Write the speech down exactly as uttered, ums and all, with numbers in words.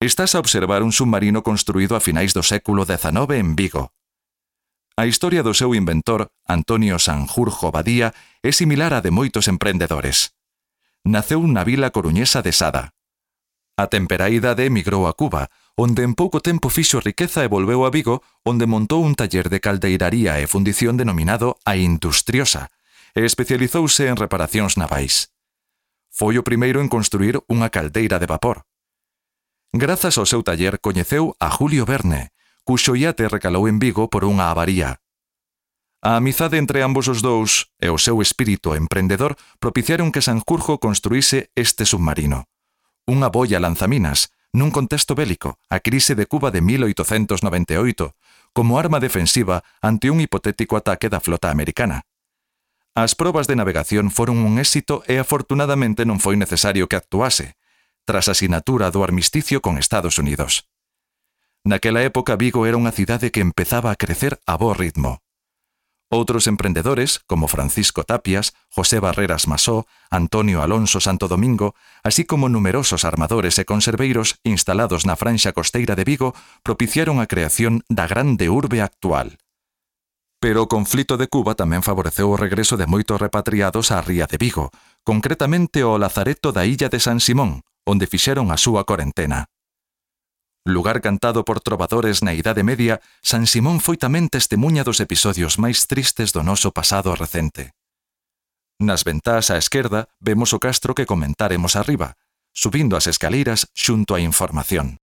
Estás a observar un submarino construído a finais do século dezanove en Vigo. A historia do seu inventor, Antonio Sanjurjo Badía, é similar á de moitos emprendedores. Naceu na vila coruñesa de Sada. A temperá idade emigrou a Cuba, onde en pouco tempo fixo riqueza e volveu a Vigo, onde montou un taller de caldeiraría e fundición denominado A Industriosa, e especializouse en reparacións navais. Foi o primeiro en construir unha caldeira de vapor. Grazas ao seu taller coñeceu a Julio Verne, cuxo iate recalou en Vigo por unha avaría. A amizade entre ambos os dous e o seu espírito emprendedor propiciaron que Sanjurjo construíse este submarino. Unha boia lanzaminas, nun contexto bélico, a crise de Cuba de mil oitocentos noventa e oito, como arma defensiva ante un hipotético ataque da flota americana. As probas de navegación foron un éxito e afortunadamente non foi necesario que actuase, tras a sinatura do armisticio con Estados Unidos. Naquela época Vigo era unha cidade que empezaba a crecer a bo ritmo. Outros emprendedores, como Francisco Tapias, José Barreras Masó, Antonio Alonso Santo Domingo, así como numerosos armadores e conserveiros instalados na franxa costeira de Vigo, propiciaron a creación da grande urbe actual. Pero o conflito de Cuba tamén favoreceu o regreso de moitos repatriados á ría de Vigo, concretamente ao lazareto da illa de San Simón, onde fixeron a súa corentena. Lugar cantado por trovadores na Idade Media, San Simón foi tamén testemuña dos episodios máis tristes do noso pasado recente. Nas ventás á esquerda vemos o castro que comentaremos arriba, subindo as escaleiras xunto á información.